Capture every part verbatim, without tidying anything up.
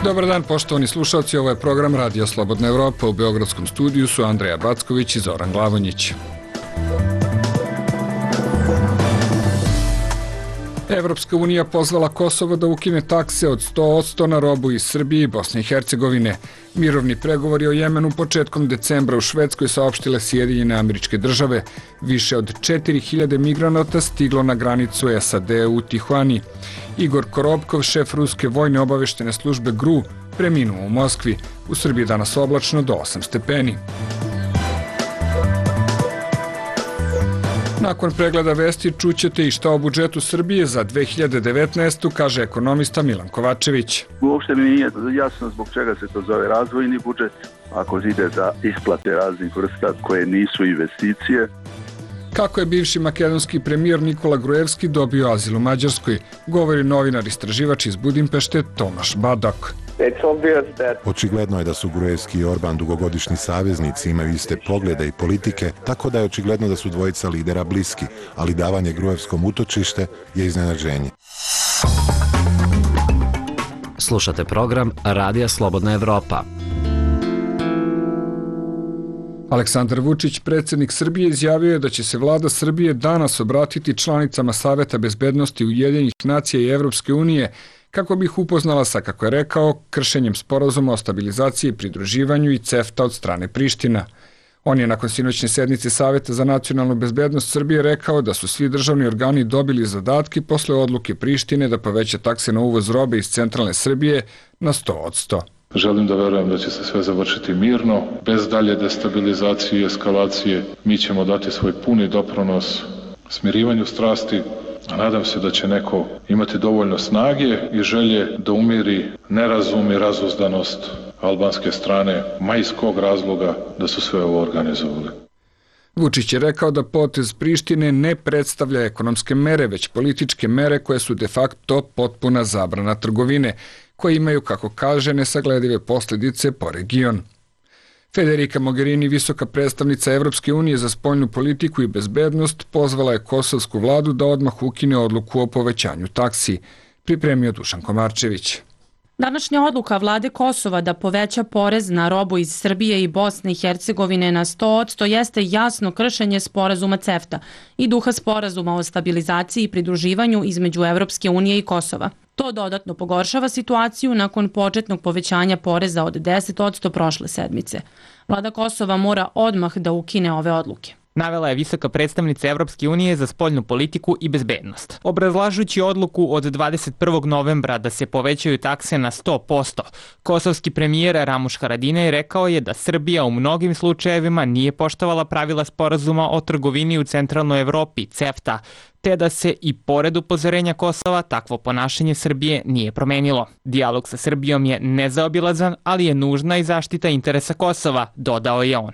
Dobar dan, poštovani slušalci, ovo je program Radio Slobodna Evropa. U Beogradskom studiju su Andreja Backović i Zoran Glavonjić. Evropska unija pozvala Kosovo da ukine takse od sto posto na robu iz Srbije i Bosne i Hercegovine. Mirovni pregovori o Jemenu početkom decembra u Švedskoj saopštile Sjedinjene Američke Države. Više od četiri hiljade migranata stiglo na granicu S A D u Tihuani. Igor Korobkov, šef ruske vojne obaveštene službe G R U, preminuo u Moskvi. U Srbiji danas oblačno do osam stepeni. Nakon pregleda vesti čućete i šta o budžetu Srbije za dve hiljade devetnaestu. kaže ekonomista Milan Kovačević. Uopšte mi nije jasno zbog čega se to zove razvojni budžet, ako ide za isplate raznih vrsta koje nisu investicije. Kako je bivši makedonski premijer Nikola Gruevski dobio azil u Mađarskoj, govori novinar istraživač iz Budimpešte Tomaš Badok. Očigledno je da su Gruevski i Orban dugogodišnji saveznici, imaju iste poglede i politike, tako da je očigledno da su dvojica lidera bliski, ali davanje Gruevskom utočište je iznenađenje. Slušate program Radija Slobodna Evropa. Aleksandar Vučić, predsjednik Srbije, izjavio je da će se vlada Srbije danas obratiti članicama Saveta bezbednosti Ujedinjenih nacija i Evropske unije kako bi ih upoznala sa, kako je rekao, kršenjem sporazuma o stabilizaciji i pridruživanju i CEFTA od strane Priština. On je nakon sinoćne sednice Saveta za nacionalnu bezbednost Srbije rekao da su svi državni organi dobili zadatke posle odluke Prištine da poveća takse na uvoz robe iz centralne Srbije na sto posto. Želim da verujem da će se sve završiti mirno, bez dalje destabilizacije i eskalacije. Mi ćemo dati svoj puni doprinos smirivanju strasti, a nadam se da će neko imati dovoljno snage i želje da umiri nerazum i razuzdanost albanske strane, ma iz kog razloga da su sve ovo organizovali. Vučić je rekao da potez Prištine ne predstavlja ekonomske mere, već političke mere koje su de facto potpuna zabrana trgovine, koje imaju, kako kaže, nesagledive posljedice po region. Federica Mogherini, visoka predstavnica Evropske unije za spoljnu politiku i bezbednost, pozvala je kosovsku vladu da odmah ukine odluku o povećanju taksi, pripremio Dušan Komarčević. Današnja odluka vlade Kosova da poveća porez na robu iz Srbije i Bosne i Hercegovine na sto posto jeste jasno kršenje sporazuma CEFTA i duha sporazuma o stabilizaciji i pridruživanju između Evropske unije i Kosova. To dodatno pogoršava situaciju nakon početnog povećanja poreza od deset posto prošle sedmice. Vlada Kosova mora odmah da ukine ove odluke. Navela je visoka predstavnica Evropske unije za spoljnu politiku i bezbednost. Obrazlažući odluku od dvadeset prvog novembra da se povećaju takse na sto posto, kosovski premijer Ramuš Haradinaj rekao je da Srbija u mnogim slučajevima nije poštovala pravila sporazuma o trgovini u centralnoj Evropi, CEFTA, te da se i pored upozorenja Kosova takvo ponašanje Srbije nije promenilo. Dijalog sa Srbijom je nezaobilazan, ali je nužna i zaštita interesa Kosova, dodao je on.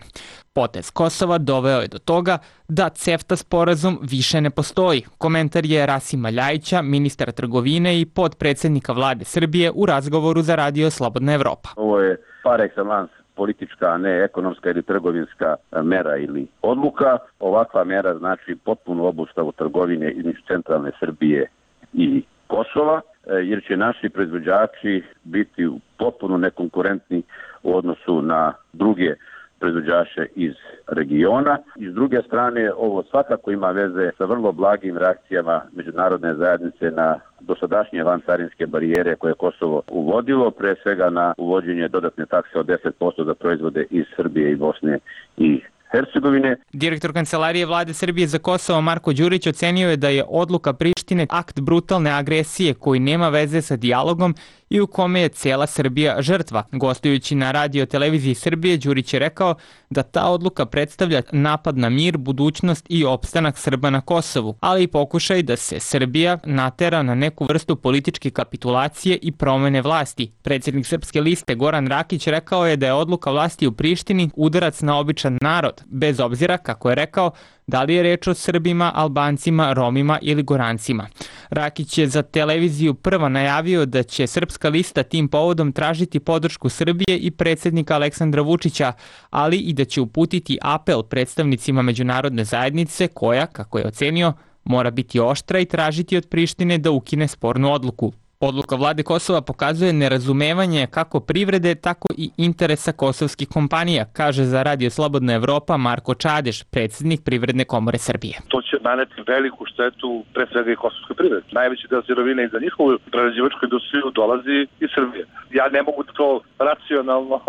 Potez Kosova doveo je do toga da CEFTA sporazum više ne postoji. Komentar je Rasima Ljajića, ministra trgovine i podpredsjednika vlade Srbije u razgovoru za Radio Slobodna Evropa. Ovo je par excellence politička, a ne ekonomska ili trgovinska mera ili odluka. Ovakva mera znači potpunu obustavu trgovine između centralne Srbije i Kosova, jer će naši proizvođači biti potpuno nekonkurentni u odnosu na druge proizvođače iz regiona. I s druge strane, ovo svakako ima veze sa vrlo blagim reakcijama međunarodne zajednice na dosadašnje vancarinske barijere koje je Kosovo uvodilo, pre svega na uvođenje dodatne takse od deset posto za proizvode iz Srbije i Bosne i Hercegovine. Direktor Kancelarije vlade Srbije za Kosovo Marko Đurić ocenio je da je odluka Prištine akt brutalne agresije koji nema veze sa dijalogom i u kome je cijela Srbija žrtva. Gostujući na radio televiziji Srbije, Đurić je rekao da ta odluka predstavlja napad na mir, budućnost i opstanak Srba na Kosovu, ali i pokušaj da se Srbija natera na neku vrstu političke kapitulacije i promene vlasti. Predsjednik Srpske liste Goran Rakić rekao je da je odluka vlasti u Prištini udarac na običan narod, bez obzira, kako je rekao, da li je reč o Srbima, Albancima, Romima ili Gorancima. Rakić je za televiziju Prva najavio da će Srpska lista tim povodom tražiti podršku Srbije i predsjednika Aleksandra Vučića, ali i da će uputiti apel predstavnicima međunarodne zajednice koja, kako je ocenio, mora biti oštra i tražiti od Prištine da ukine spornu odluku. Odluka vlade Kosova pokazuje nerazumevanje kako privrede, tako i interesa kosovskih kompanija, kaže za Radio Slobodna Evropa Marko Čadež, predsjednik Privredne komore Srbije. To će naneti veliku štetu pre svega i kosovskoj privredi. Najveći deo sirovine i za njihovu prerađivačku industriju dolazi iz Srbije. Ja ne mogu to racionalno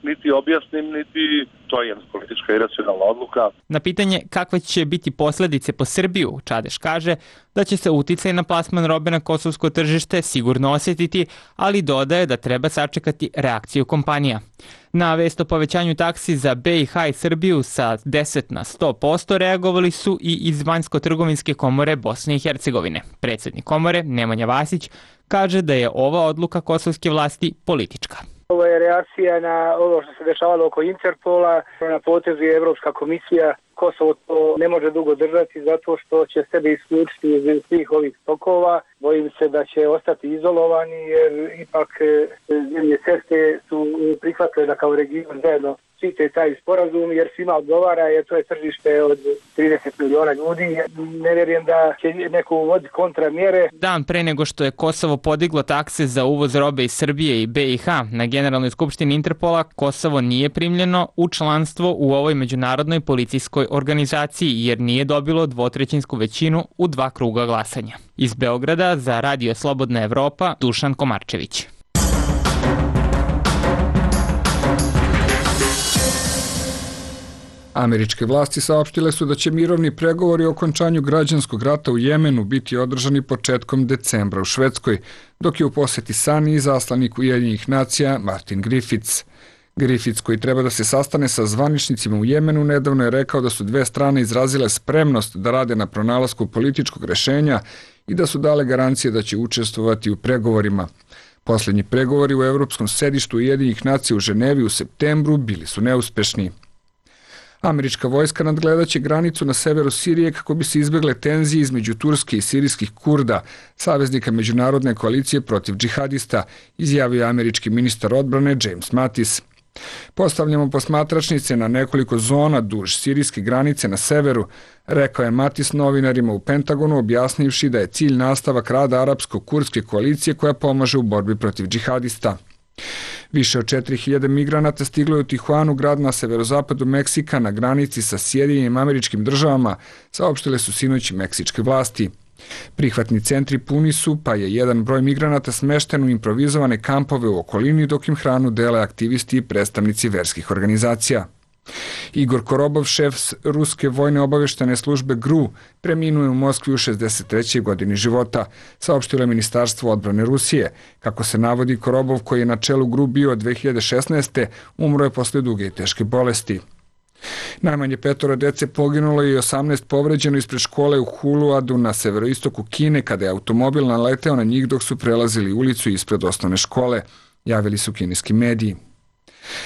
niti objasnim, niti to je jedna politička i racionalna odluka. Na pitanje kakve će biti posljedice po Srbiju, Čadeš kaže da će se uticaj na plasman robe na kosovsko tržište sigurno osjetiti, ali dodaje da treba sačekati reakciju kompanija. Na vest o povećanju taksi za B i H i Srbiju sa deset na sto posto reagovali su i iz Vanjsko-trgovinske komore Bosne i Hercegovine. Predsjednik komore, Nemanja Vasić, kaže da je ova odluka kosovske vlasti politička. Ovo je reakcija na ovo što se dešavalo oko Interpola, na potezu je Evropska komisija. Kosovo to ne može dugo držati zato što će sebe isključiti iz svih ovih stokova. Bojim se da će ostati izolovani jer ipak zemlje CEFTA su prihvatile da kao region zajedno štite taj sporazum jer svima odgovara jer to je tržište od trideset miliona ljudi. Ne vjerujem da će neko uvoditi kontramjere. Dan pre nego što je Kosovo podiglo takse za uvoz robe iz Srbije i B i H na Generalnoj skupštini Interpola, Kosovo nije primljeno u članstvo u ovoj međunarodnoj policijskoj organizaciji jer nije dobilo dvotrećinsku većinu u dva kruga glasanja. Iz Beograda za Radio Slobodna Evropa, Dušan Komarčević. Američke vlasti saopštile su da će mirovni pregovori o okončanju građanskog rata u Jemenu biti održani početkom decembra u Švedskoj, dok je u poseti Sani izaslanik Ujedinjenih nacija Martin Griffiths. Griffiths, koji treba da se sastane sa zvaničnicima u Jemenu, nedavno je rekao da su dve strane izrazile spremnost da rade na pronalasku političkog rešenja i da su dale garancije da će učestvovati u pregovorima. Poslednji pregovori u Evropskom sedištu Ujedinjenih nacija u Ženevi u septembru bili su neuspešni. Američka vojska nadgledaće granicu na severu Sirije kako bi se izbegle tenzije između Turske i sirijskih Kurda, saveznika međunarodne koalicije protiv džihadista, izjavio je američki ministar odbrane James Mattis. Postavljamo posmatračnice na nekoliko zona duž sirijske granice na severu, rekao je Mattis novinarima u Pentagonu, objasnivši da je cilj nastavak rada arapsko-kurdske koalicije koja pomaže u borbi protiv džihadista. Više od četiri hiljade migranata stiglo je u Tijuanu, grad na severozapadu Meksika, na granici sa Sjedinjenim Američkim Državama, saopštile su sinoć meksičke vlasti. Prihvatni centri puni su, pa je jedan broj migranata smešten u improvizovane kampove u okolini, dok im hranu dele aktivisti i predstavnici verskih organizacija. Igor Korobov, šef ruske vojne obaveštene službe G R U, preminuo je u Moskvi u šezdeset trećoj godini života, saopštilo je Ministarstvo odbrane Rusije. Kako se navodi, Korobov, koji je na čelu G R U bio od dve hiljade šesnaeste. umro je posle duge i teške bolesti. Najmanje petoro dece poginulo i osamnaest povređeno ispred škole u Huluadu na severoistoku Kine kada je automobil naleteo na njih dok su prelazili ulicu ispred osnovne škole, javili su kineski mediji.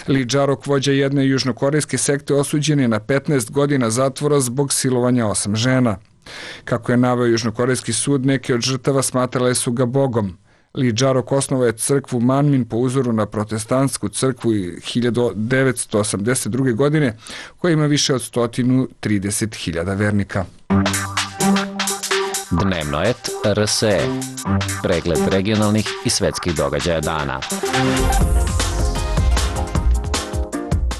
Li Džarok, vođa jedne južnokorejske sekte, osuđen je na petnaest godina zatvora zbog silovanja osam žena. Kako je naveo južnokorejski sud, neke od žrtava smatrale su ga bogom. Li Džarok osnovao je crkvu Manmin po uzoru na protestantsku crkvu hiljadu devetsto osamdeset druge. godine, koja ima više od sto trideset hiljada vernika. Dnevno et R S E. Pregled regionalnih i svetskih događaja dana.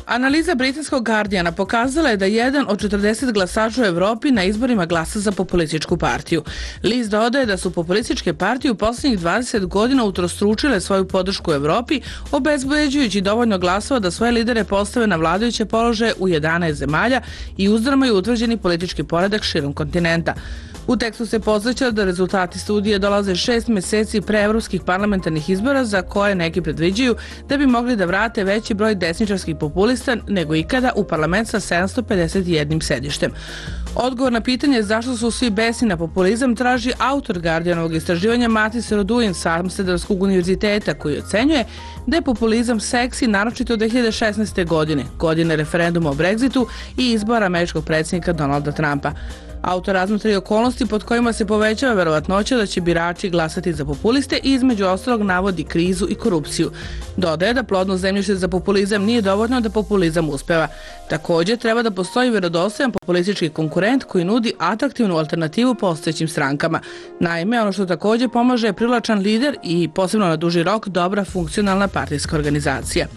Analiza britanskog Guardiana pokazala je da jedan od četrdeset glasača u Evropi na izborima glasa za populističku partiju. List dodaje da su populističke partije u posljednjih dvadeset godina utrostručile svoju podršku u Evropi, obezbeđujući dovoljno glasova da svoje lidere postave na vladajuće položaje u jedanaest zemalja i uzdrmaju utvrđeni politički poredak širom kontinenta. U tekstu se podsjeća da rezultati studije dolaze šest meseci pre evropskih parlamentarnih izbora za koje neki predviđaju da bi mogli da vrate veći broj desničarskih populista nego ikada u parlament sa sedamsto pedeset jednim sedištem. Odgovor na pitanje zašto su svi besni na populizam traži autor Guardianovog istraživanja Matis Roduin sa Amsterdamskog univerziteta, koji ocenjuje da je populizam seksi naročito od dve hiljade šesnaeste. godine, godine referenduma o Brexitu i izbora američkog predsjednika Donalda Trumpa. Autor razmatra i okolnosti pod kojima se povećava verovatnoća da će birači glasati za populiste i između ostalog navodi krizu i korupciju. Dodaje da plodno zemljište za populizam nije dovoljno da populizam uspeva. Također treba da postoji vjerodostojan populistički konkurent koji nudi atraktivnu alternativu postojećim strankama. Naime, ono što također pomaže je privlačan lider i posebno na duži rok dobra funkcionalna partijska organizacija.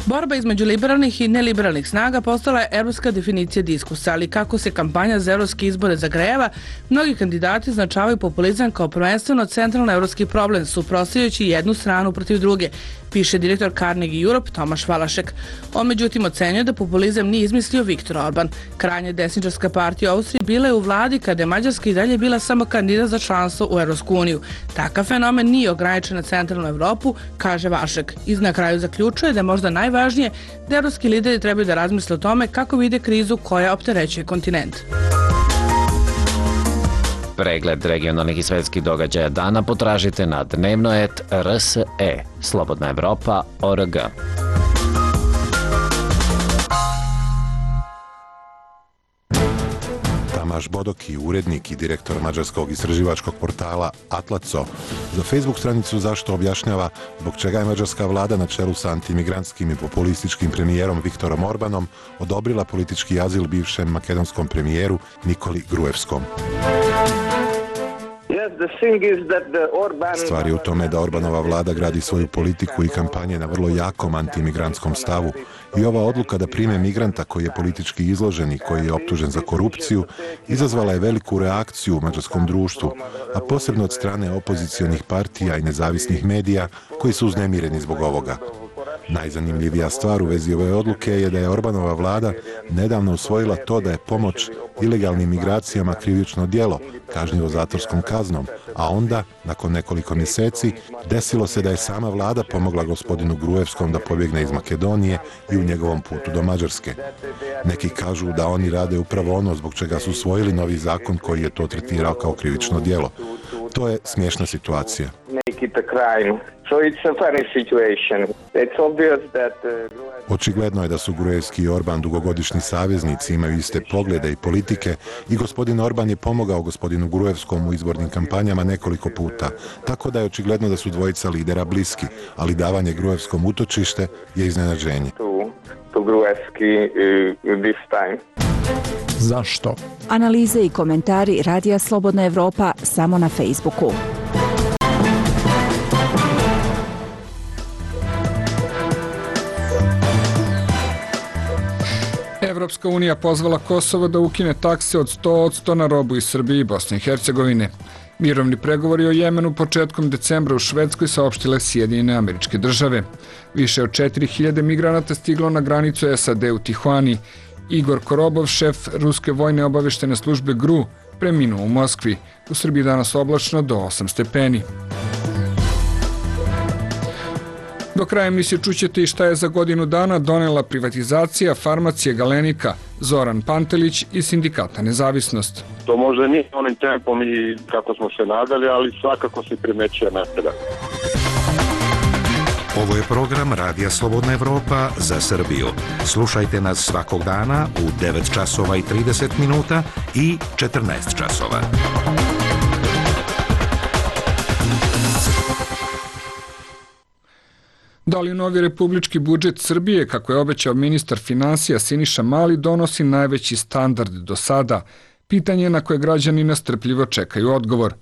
Borba između liberalnih i neliberalnih snaga postala je evropska definicija diskursa, ali kako se kampanja za evropske izbore zagrejava, mnogi kandidati označavaju populizam kao prvenstveno centralno evropski problem, suprotstavljajući jednu stranu protiv druge, piše direktor Carnegie Europe Tomaš Valašek. On međutim ocenjuje da populizam nije izmislio Viktor Orban. Krajnje desničarska partija u Austriji bila je u vladi kada je Mađarska i dalje bila samo kandidat za članstvo u Evropsku uniju. Takav fenomen nije ograničen na centralnu Evropu, kaže Vašek. I na kraju zaključuje da je možda najvažnije da evropski lideri trebaju da razmisle o tome kako vide krizu koja opterećuje kontinent. Pregled regionalnih i svetskih događaja dana potražite na dnevnoet tačka r s e, Slobodna Evropa tačka org. Tamaš Bodoki, urednik i direktor mađarskog istraživačkog portala Atlaco, za Facebook stranicu Zašto objašnjava zbog čega je mađarska vlada na čelu sa antimigrantskim i populističkim premijerom Viktorom Orbanom odobrila politički azil bivšem makedonskom premijeru Nikoli Gruevskom. Stvar je u tome da Orbanova vlada gradi svoju politiku i kampanje na vrlo jakom antimigrantskom stavu i ova odluka da prime migranta koji je politički izložen i koji je optužen za korupciju izazvala je veliku reakciju u mađarskom društvu, a posebno od strane opozicionih partija i nezavisnih medija koji su uznemireni zbog ovoga. Najzanimljivija stvar u vezi ove odluke je da je Orbanova vlada nedavno usvojila to da je pomoć ilegalnim migracijama krivično djelo, kažnjivo zatvorskom kaznom, a onda, nakon nekoliko mjeseci, desilo se da je sama vlada pomogla gospodinu Gruevskom da pobjegne iz Makedonije i u njegovom putu do Mađarske. Neki kažu da oni rade upravo ono zbog čega su usvojili novi zakon koji je to tretirao kao krivično djelo. To je smiješna situacija. Očigledno je da su Gruevski i Orban dugogodišnji saveznici, imaju iste poglede i politike i gospodin Orban je pomogao gospodinu Gruevskom u izbornim kampanjama nekoliko puta, tako da je očigledno da su dvojica lidera bliski, ali davanje Gruevskom utočište je iznenađenje. Zašto? Analize i komentari Radija Slobodna Evropa samo na Facebooku. Evropska unija pozvala Kosovo da ukine takse od sto posto na robu iz Srbije i Bosne i Hercegovine. Mirovni pregovori o Jemenu početkom decembra u Švedskoj saopštile Sjedinjene Američke Države. Više od četiri hiljade migranata stiglo na granicu S A D u Tihuani. Igor Korobov, šef ruske vojne obaveštene službe G R U, preminuo u Moskvi. U Srbiji danas oblačno do osam stepeni. Do kraja emisije čućete i šta je za godinu dana donela privatizacija farmacije Galenika, Zoran Pantelić iz Sindikata Nezavisnost. To možda nije onim tempom i kako smo se nadali, ali svakako se primećuje napredak. Ovo je program Radija Slobodna Evropa za Srbiju. Slušajte nas svakog dana u devet časova i trideset minuta i četrnaest časova. Da li novi republički budžet Srbije, kako je obećao ministar finansija Siniša Mali, donosi najveći standard do sada? Pitanje na koje građani nestrpljivo čekaju odgovor.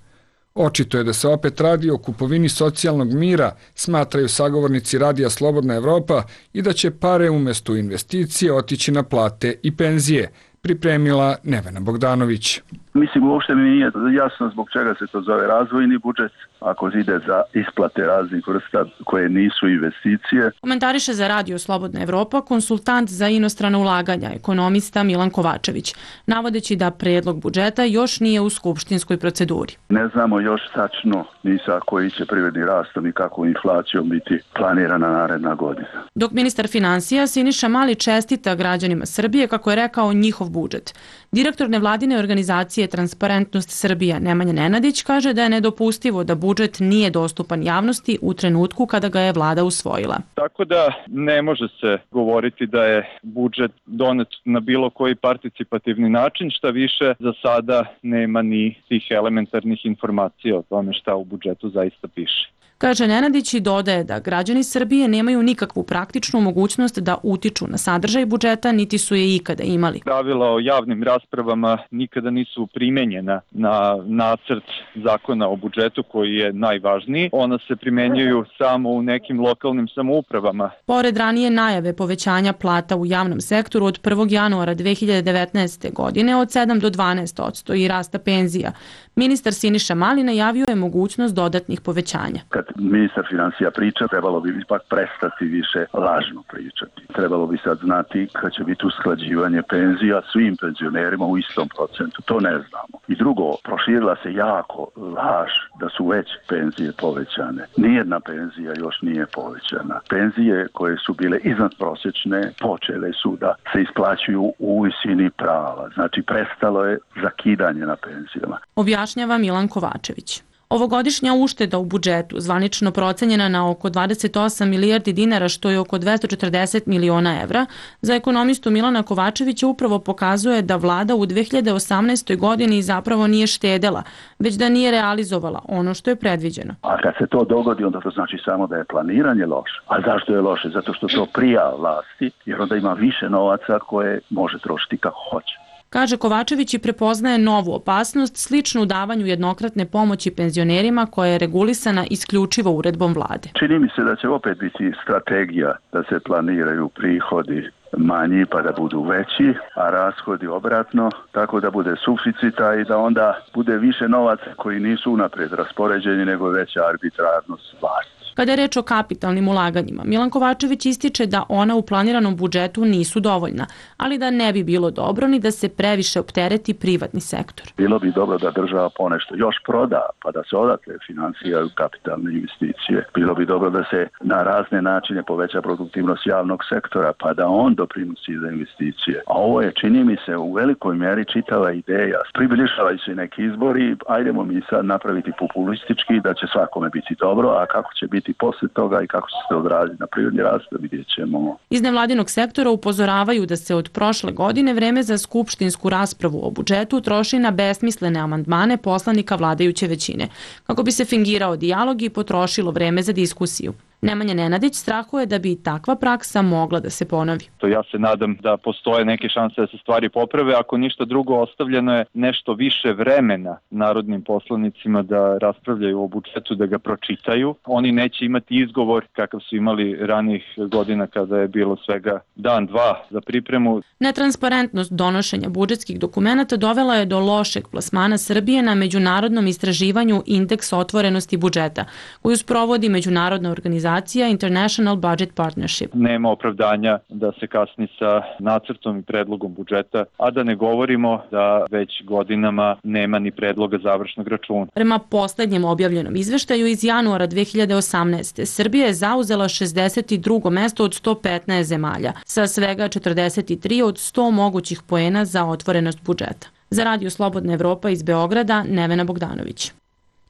Očito je da se opet radi o kupovini socijalnog mira, smatraju sagovornici Radija Slobodna Evropa, i da će pare umjesto investicije otići na plate i penzije, pripremila Nevena Bogdanović. Mislim, uopšte mi nije jasno zbog čega se to zove razvojni budžet, ako ide za isplate raznih vrsta koje nisu investicije. Komentariše za Radio Slobodna Evropa konsultant za inostrana ulaganja, ekonomista Milan Kovačević, navodeći da predlog budžeta još nije u skupštinskoj proceduri. Ne znamo još tačno ni sa koji će privredni rastom i kako inflacijom biti planirana naredna godina. Dok ministar finansija Siniša Mali čestita građanima Srbije kako je rekao njihov budžet. Direktor nevladine organizacije Transparentnost Srbija Nemanja Nenadić kaže da je nedopustivo da budžet nije dostupan javnosti u trenutku kada ga je vlada usvojila. Tako da ne može se govoriti da je budžet donet na bilo koji participativni način, šta više za sada nema ni tih elementarnih informacija o tome šta u budžetu zaista piše. Kaže Nenadić i dodaje da građani Srbije nemaju nikakvu praktičnu mogućnost da utiču na sadržaj budžeta, niti su je ikada imali. Pravila o javnim raspravama nikada nisu primenjena na nacrt zakona o budžetu koji je najvažniji. Ona se primenjuju samo u nekim lokalnim samoupravama. Pored ranije najave povećanja plata u javnom sektoru od prvog januara dve hiljade devetnaeste. godine od sedam do dvanaest posto i rasta penzija, ministar Siniša Mali najavio je mogućnost dodatnih povećanja. Kad ministar finansija priča, trebalo bi ipak prestati više lažno pričati. Trebalo bi sad znati kad će biti usklađivanje penzija svim penzionerima u istom procentu. To ne znamo. I drugo, proširila se jako laž da su već penzije povećane. Nijedna penzija još nije povećana. Penzije koje su bile iznadprosječne počele su da se isplaćuju u visini prava. Znači prestalo je zakidanje na penzijama. Objašnjava Milan Kovačević. Ovogodišnja ušteda u budžetu, zvanično procenjena na oko dvadeset osam milijardi dinara, što je oko dvesta četrdeset miliona evra, za ekonomistu Milana Kovačevića upravo pokazuje da vlada u dve hiljade osamnaestoj. godini zapravo nije štedela, već da nije realizovala ono što je predviđeno. A kad se to dogodi, onda to znači samo da je planiranje loše. A zašto je loše? Zato što to prija vlasti, jer onda ima više novaca koje može trošiti kako hoće. Kaže Kovačević i prepoznaje novu opasnost sličnu davanju jednokratne pomoći penzionerima koja je regulisana isključivo uredbom vlade. Čini mi se da će opet biti strategija da se planiraju prihodi manji pa da budu veći, a rashodi obratno, tako da bude suficita i da onda bude više novaca koji nisu unaprijed raspoređeni nego veća arbitrarnost vlasti. Kada je reč o kapitalnim ulaganjima, Milan Kovačević ističe da ona u planiranom budžetu nisu dovoljna, ali da ne bi bilo dobro ni da se previše optereti privatni sektor. Bilo bi dobro da država ponešto još proda, pa da se odatle finansiraju kapitalne investicije. Bilo bi dobro da se na razne načine poveća produktivnost javnog sektora, pa da on doprinosi za investicije. A ovo je, čini mi se, u velikoj mjeri čitava ideja. Približavaju se neki izbori, ajdemo mi sad napraviti populistički da će svakome biti dobro, a kako će biti posle toga i kako će se odraziti na privredni rast, vidjet ćemo. Iz nevladinog sektora upozoravaju da se od prošle godine vreme za skupštinsku raspravu o budžetu troši na besmislene amandmane poslanika vladajuće većine, kako bi se fingirao dijalog i potrošilo vreme za diskusiju. Nemanja Nenadić strahuje da bi takva praksa mogla da se ponovi. To ja se nadam da postoje neke šanse da se stvari poprave, ako ništa drugo ostavljeno je nešto više vremena narodnim poslanicima da raspravljaju o budžetu, da ga pročitaju. Oni neće imati izgovor kakav su imali ranijih godina kada je bilo svega dan, dva za pripremu. Netransparentnost donošenja budžetskih dokumenata dovela je do lošeg plasmana Srbije na međunarodnom istraživanju Indeks otvorenosti budžeta, koju sprovodi međunarodna organizacija International Budget Partnership. Nema opravdanja da se kasni sa nacrtom i predlogom budžeta, a da ne govorimo da već godinama nema ni predloga završnog računa. Prema poslednjem objavljenom izveštaju iz januara dve hiljade osamnaeste. Srbija je zauzela šezdeset drugo mesto od sto petnaest zemalja, sa svega četrdeset tri od sto mogućih poena za otvorenost budžeta. Za Radio Slobodna Evropa iz Beograda, Nevena Bogdanović.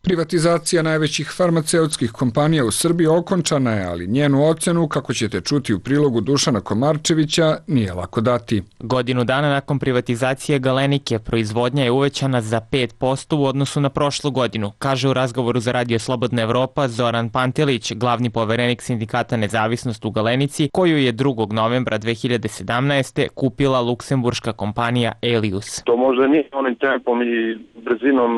Privatizacija najvećih farmaceutskih kompanija u Srbiji okončana je, ali njenu ocenu, kako ćete čuti u prilogu Dušana Komarčevića, nije lako dati. Godinu dana nakon privatizacije Galenike proizvodnja je uvećana za pet posto u odnosu na prošlu godinu, kaže u razgovoru za Radio Slobodna Evropa Zoran Pantelić, glavni poverenik sindikata Nezavisnost u Galenici, koju je drugog novembra dve hiljade sedamnaeste. kupila luksemburška kompanija Elius. To možda nije onim tempom i brzinom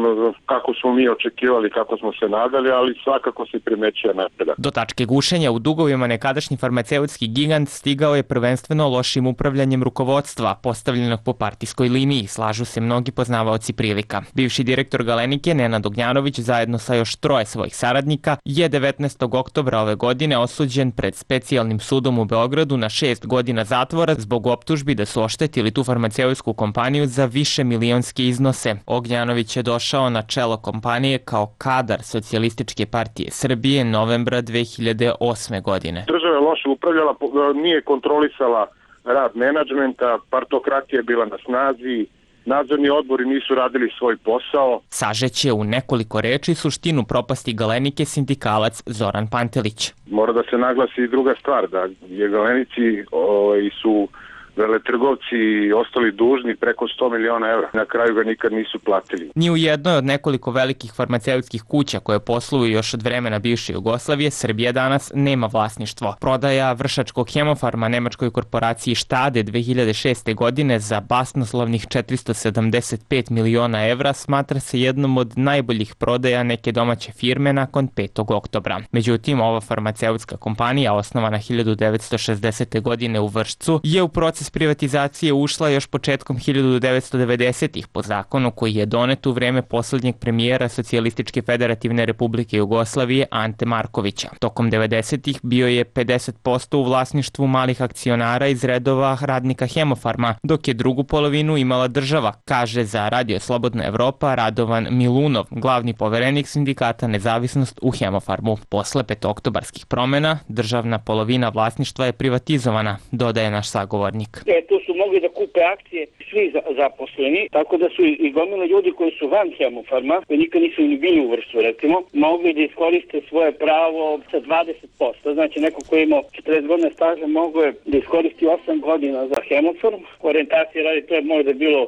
kako smo mi očekivali očekivali, kako smo se nadali, ali svakako se primećuje napredak. Do tačke gušenja u dugovima nekadašnji farmaceutski gigant stigao je prvenstveno lošim upravljanjem rukovodstva, postavljenog po partijskoj liniji, slažu se mnogi poznavaoci prilika. Bivši direktor Galenike, Nenad Ognjanović, zajedno sa još troje svojih saradnika, je devetnaestog oktobra ove godine osuđen pred specijalnim sudom u Beogradu na šest godina zatvora zbog optužbi da su oštetili tu farmaceutsku kompaniju za više milionske iznose. Ognjanović je došao na čelo kompanije kao kadar Socijalističke partije Srbije novembra dve hiljade osme godine. Država je loše upravljala, nije kontrolisala rad menadžmenta, partokratija je bila na snazi, nadzorni odbori nisu radili svoj posao. Sažeće u nekoliko reči suštinu propasti Galenike sindikalac Zoran Pantelić. Mora da se naglasi i druga stvar, da je Galenici ovaj, su veletrgovci ostali dužni preko sto miliona evra. Na kraju ga nikad nisu platili. Ni u jednoj od nekoliko velikih farmaceutskih kuća koje posluju još od vremena bivše Jugoslavije, Srbija danas nema vlasništvo. Prodaja Vršačkog Hemofarma nemačkoj korporaciji Štade dve hiljade šeste. godine za basnoslovnih četiristo sedamdeset pet miliona evra smatra se jednom od najboljih prodaja neke domaće firme nakon petog oktobra. Međutim, ova farmaceutska kompanija, osnovana hiljadu devetsto šezdesete. godine u Vršcu, je u proces privatizacije ušla još početkom hiljadu devetsto devedesetih. po zakonu koji je donet u vreme poslednjeg premijera Socijalističke federativne republike Jugoslavije Ante Markovića. Tokom devedesetih bio je pedeset posto u vlasništvu malih akcionara iz redova radnika Hemofarma, dok je drugu polovinu imala država, kaže za Radio Slobodna Evropa Radovan Milunov, glavni poverenik sindikata Nezavisnost u Hemofarmu. Posle petooktobarskih promena, državna polovina vlasništva je privatizovana, dodaje naš sagovornik. E, tu su mogli da kupe akcije svi zaposleni, tako da su i gomile ljudi koji su van Hemofarma, koji nikad nisu ni bili u Vršcu, recimo, mogli da iskoriste svoje pravo sa dvadeset posto. Znači, neko koji je imao četrdeset godina staža mogo je da iskoristi osam godina za Hemofarm. Orijentacije radi, to je možda bilo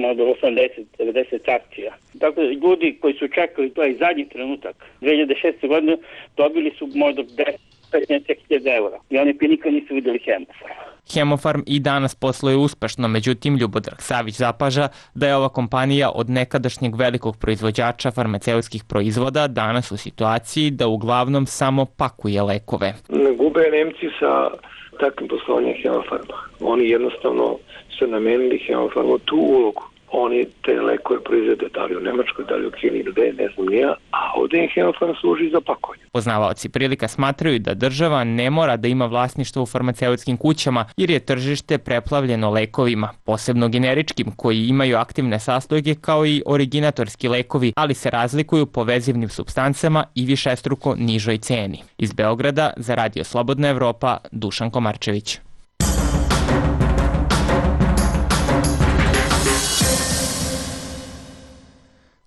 možda osamdeset do devedeset akcija. Tako da ljudi koji su čekali to je zadnji trenutak, dve hiljade šeste. godine, dobili su možda deset do petnaest hiljada evra i oni pa nikad nisu videli Hemofarm. Hemofarm i danas posluje uspešno, međutim Ljubodrag Savić zapaža da je ova kompanija od nekadašnjeg velikog proizvođača farmaceutskih proizvoda danas u situaciji da uglavnom samo pakuje lekove. Ne gube Nemci sa takvim poslovanjem Hemofarma. Oni jednostavno su namenili Hemofarmu tu ulogu. Oni te lekove proizvede da li u Nemačkoj, da li u Kini, gde, ne znam nija, a ovdje im Hemofarm služi za pakovanje. Poznavaoci prilika smatraju da država ne mora da ima vlasništvo u farmaceutskim kućama jer je tržište preplavljeno lekovima, posebno generičkim koji imaju aktivne sastojke kao i originatorski lekovi, ali se razlikuju po vezivnim supstancama i višestruko nižoj ceni. Iz Beograda za Radio Slobodna Evropa, Dušan Komarčević.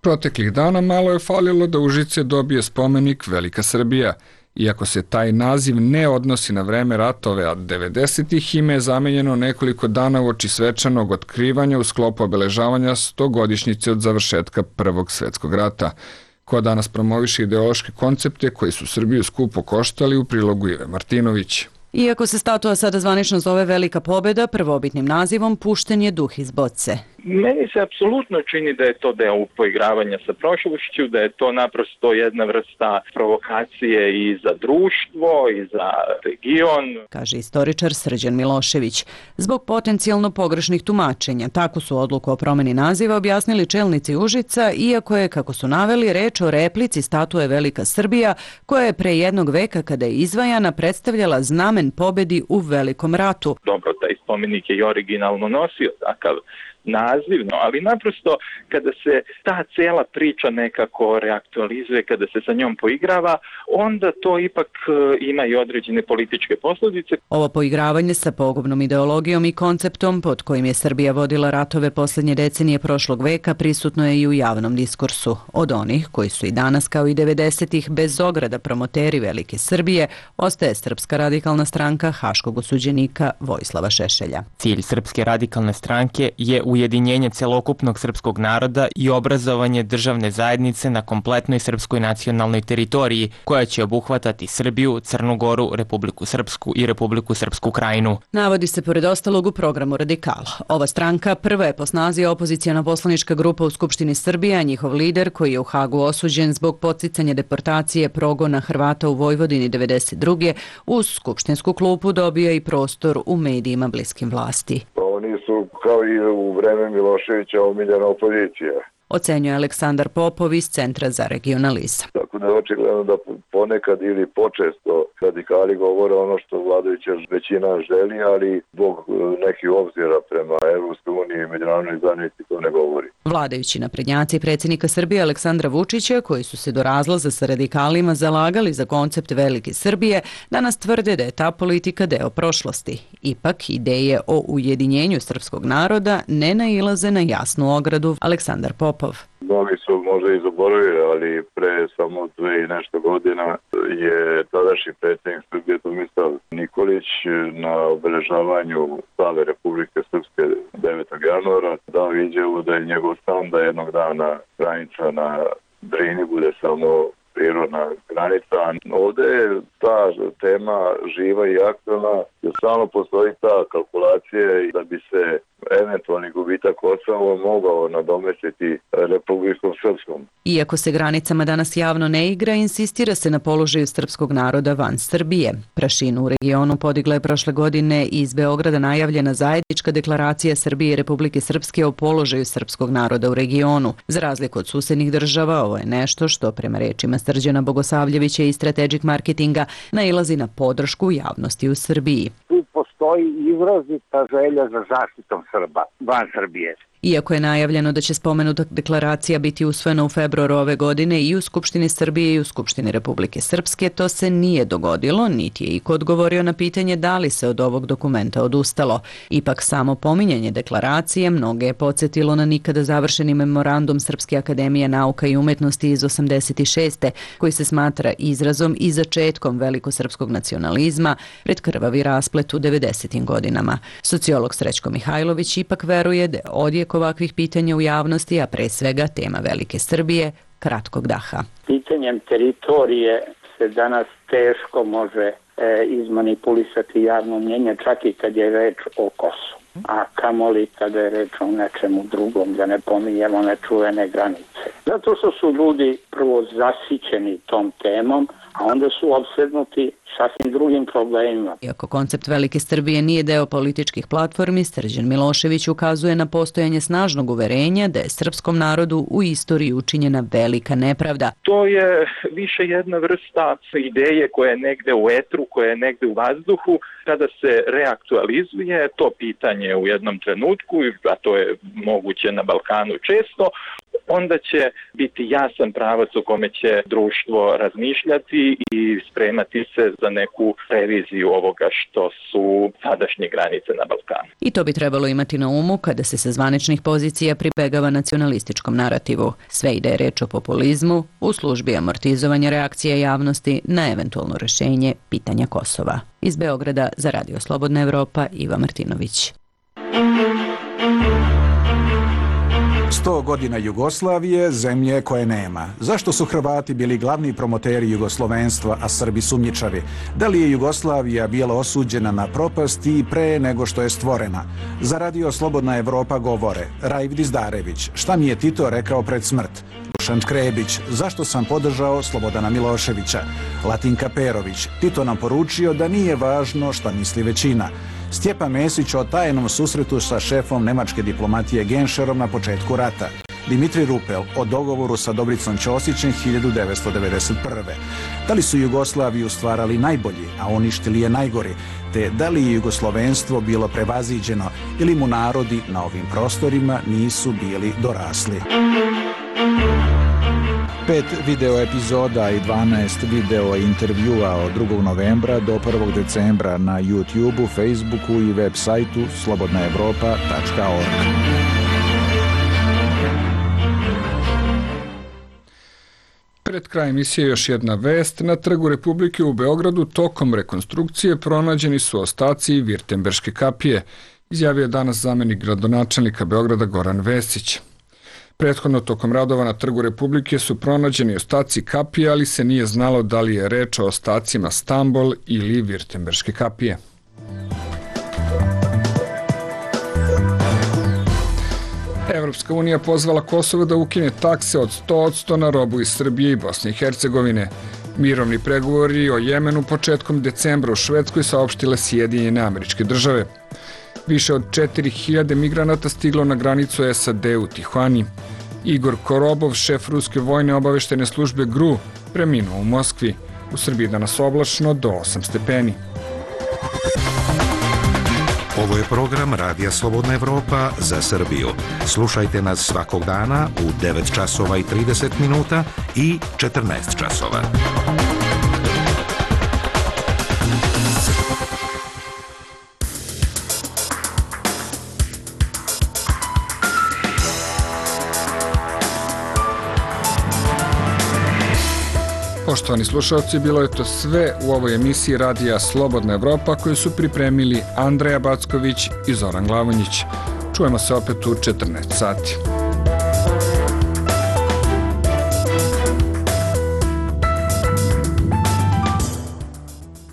Proteklih dana malo je falilo da Užice dobije spomenik Velika Srbija. Iako se taj naziv ne odnosi na vreme ratove, a devedesetih ime je zamenjeno nekoliko dana uoči svečanog otkrivanja u sklopu obeležavanja stogodišnjice od završetka Prvog svetskog rata. Ko danas promoviše ideološke koncepte koji su Srbiju skupo koštali, u prilogu Ive Martinović. Iako se statua sada zvanično zove Velika pobjeda, prvobitnim nazivom pušten je duh iz boce. Meni se apsolutno čini da je to deo poigravanja sa prošlošću, da je to naprosto jedna vrsta provokacije i za društvo i za region, kaže istoričar Srđan Milošević. Zbog potencijalno pogrešnih tumačenja, tako su odluku o promjeni naziva objasnili čelnici Užica, iako je, kako su naveli, reč o replici statue Velika Srbija, koja je pre jednog veka kada je izvajana predstavljala znamen pobedi u Velikom ratu. Dobro, taj spomenik je i originalno nosio takav nazivno, ali naprosto kada se ta cela priča nekako reaktualizuje, kada se sa njom poigrava, onda to ipak ima i određene političke posljedice. Ovo poigravanje sa pogubnom ideologijom i konceptom pod kojim je Srbija vodila ratove posljednje decenije prošlog veka prisutno je i u javnom diskursu. Od onih koji su i danas kao i devedesetih bez ograda promoteri Velike Srbije ostaje Srpska radikalna stranka haškog osuđenika Vojislava Šešelja. Cilj Srpske radikalne stranke je ujedinjenje celokupnog srpskog naroda i obrazovanje državne zajednice na kompletnoj srpskoj nacionalnoj teritoriji, koja će obuhvatati Srbiju, Crnu Goru, Republiku Srpsku i Republiku Srpsku Krajinu. Navodi se pored ostalog u programu Radikala. Ova stranka prva je po snazi opozicijona poslanička grupa u Skupštini Srbije, a njihov lider, koji je u Hagu osuđen zbog podsticanja deportacije progona Hrvata u Vojvodini devedeset druge uz skupštinsku klupu dobija i prostor u medijima bliskim vlasti. Oni su kao i u vreme Miloševića omiljena opozicija. Ocenjuje Aleksandar Popov iz Centra za regionalizam. Tako da je očigledno da ponekad ili počesto radikali govore ono što vladajuća većina želi, ali zbog nekih obzira prema Evropskoj uniji i međunarodnoj zajednici to ne govori. Vladajući naprednjaci predsjednika Srbije Aleksandra Vučića, koji su se do razlaza sa radikalima zalagali za koncept Velike Srbije, danas tvrde da je ta politika deo prošlosti. Ipak, ideje o ujedinjenju srpskog naroda ne nailaze na jasnu ogradu. Aleksandar Popov. Mnogi su možda i zaboravili, ali pre samo dve i nešto godina je tadašnji predsjednik Srbije Tomislav Nikolić na obeležavanju slave Republike Srpske devetog januara dao izjavu da je njegov san da jednog dana granica na Drini bude samo prirodna granica. Ovdje je ta tema živa i aktualna, jer stalno postoji ta kalkulacija da bi se eventualni gubitak Kosova mogao nadomestiti Republikom Srpskom. Iako se granicama danas javno ne igra, insistira se na položaju srpskog naroda van Srbije. Prašinu u regionu podigla je prošle godine iz Beograda najavljena zajednička deklaracija Srbije i Republike Srpske o položaju srpskog naroda u regionu. Za razliku od susednih država, ovo je nešto što, prema rečima Srđana Bogosavljevića iz Strategic Marketinga, nailazi na podršku javnosti u Srbiji. Tu postoji izrazita želja za zaštitom Srba van Srbije. Iako je najavljeno da će spomenuta deklaracija biti usvojena u februaru ove godine i u Skupštini Srbije i u Skupštini Republike Srpske, to se nije dogodilo, niti je iko odgovorio na pitanje da li se od ovog dokumenta odustalo. Ipak samo pominjanje deklaracije mnoge je podsjetilo na nikada završeni memorandum Srpske akademije nauka i umetnosti iz osamdeset šeste koji se smatra izrazom i začetkom velikosrpskog nacionalizma pred krvavi rasplet u devedesetim godinama. Sociolog Srećko Mihajlović ipak veruje da je odjek ovakvih pitanja u javnosti, a pre svega tema Velike Srbije, kratkog daha. Pitanjem teritorije se danas teško može e, izmanipulisati javno mnjenje, čak i kad je reč o Kosovu. A kamoli kada je reč o nečemu drugom, da ne pominjemo nečuvene granice. Zato što su ljudi prvo zasićeni tom temom, a onda su opsednuti sasvim drugim problemima. Iako koncept Velike Srbije nije deo političkih platformi, Srđan Milošević ukazuje na postojanje snažnog uverenja da je srpskom narodu u istoriji učinjena velika nepravda. To je više jedna vrsta ideje koja je negde u etru, koja je negde u vazduhu. Kada se reaktualizuje to pitanje u jednom trenutku, a to je moguće na Balkanu često, onda će biti jasan pravac u kome će društvo razmišljati i spremati se za neku reviziju ovoga što su sadašnje granice na Balkanu. I to bi trebalo imati na umu kada se sa zvaničnih pozicija pribegava nacionalističkom narativu. Sve ide je reč o populizmu u službi amortizovanja reakcije javnosti na eventualno rešenje pitanja Kosova. Iz Beograda za Radio Slobodna Evropa, Iva Martinović. Sto godina Jugoslavije, zemlje koje nema. Zašto su Hrvati bili glavni promoteri jugoslovenstva, a Srbi sumnjičavi? Da li je Jugoslavija bila osuđena na propast i pre nego što je stvorena? Za Radio Slobodna Evropa govore Rajv Dizdarević, šta mi je Tito rekao pred smrt? Dušan Krebić, zašto sam podržao Slobodana Miloševića? Latinka Perović, Tito nam poručio da nije važno šta misli većina. Stjepan Mesić o tajnom susretu sa šefom nemačke diplomatije Genšerom na početku rata. Dimitri Rupel o dogovoru sa Dobricom Ćosićem hiljadu devetsto devedeset prve. Da li su Jugoslaviju stvarali najbolji, a uništili je najgori, te da li je jugoslovenstvo bilo prevaziđeno ili mu narodi na ovim prostorima nisu bili dorasli. Pet video epizoda i dvanaest video intervjua od drugog novembra do prvog decembra na YouTubeu, Facebooku i web sajtu slobodna evropa tačka org. Pred kraj emisije još jedna vest. Na Trgu Republike u Beogradu tokom rekonstrukcije pronađeni su ostaci Virtemberške kapije. izjavio je danas zamenik gradonačelnika Beograda Goran Vesić. Prethodno tokom radova na Trgu Republike su pronađeni ostaci kapije, ali se nije znalo da li je reč o ostacima Stambol ili Virtemberške kapije. Evropska unija pozvala Kosovo da ukine takse od sto posto na robu iz Srbije i Bosne i Hercegovine. Mirovni pregovori o Jemenu početkom decembra u Švedskoj saopštile Sjedinjene Američke Države. Više od četiri hiljade migranata stiglo na granicu S A D u Tihuani. Igor Korobov, šef ruske vojne obaveštene službe G R U, preminuo u Moskvi. U Srbiji danas oblačno do osam stepeni. Ovo je program Radija Slobodna Evropa za Srbiju. Slušajte nas svakog dana u devet časova i trideset minuta i četrnaest časova. Poštovani slušalci, bilo je to sve u ovoj emisiji Radija Slobodna Evropa koju su pripremili Andreja Backović i Zoran Glavonjić. Čujemo se opet u četrnaest sati.